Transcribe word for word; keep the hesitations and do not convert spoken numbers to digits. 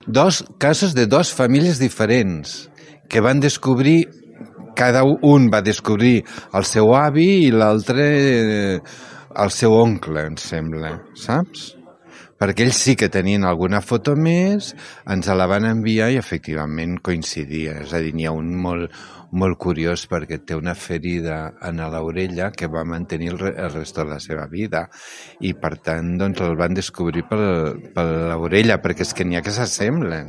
dos casos de dos famílies diferents que van descobrir, cada un va descobrir el seu avi i l'altre el seu oncle, em sembla, saps? Perquè ells sí que tenien alguna foto més, ens la van enviar i efectivament coincidia. És a dir, n'hi ha un molt, molt curiós perquè té una ferida en l'orella que va mantenir el, el rest de la seva vida i per tant doncs el van descobrir per, per l'orella, perquè és que n'hi ha que s'assemblen.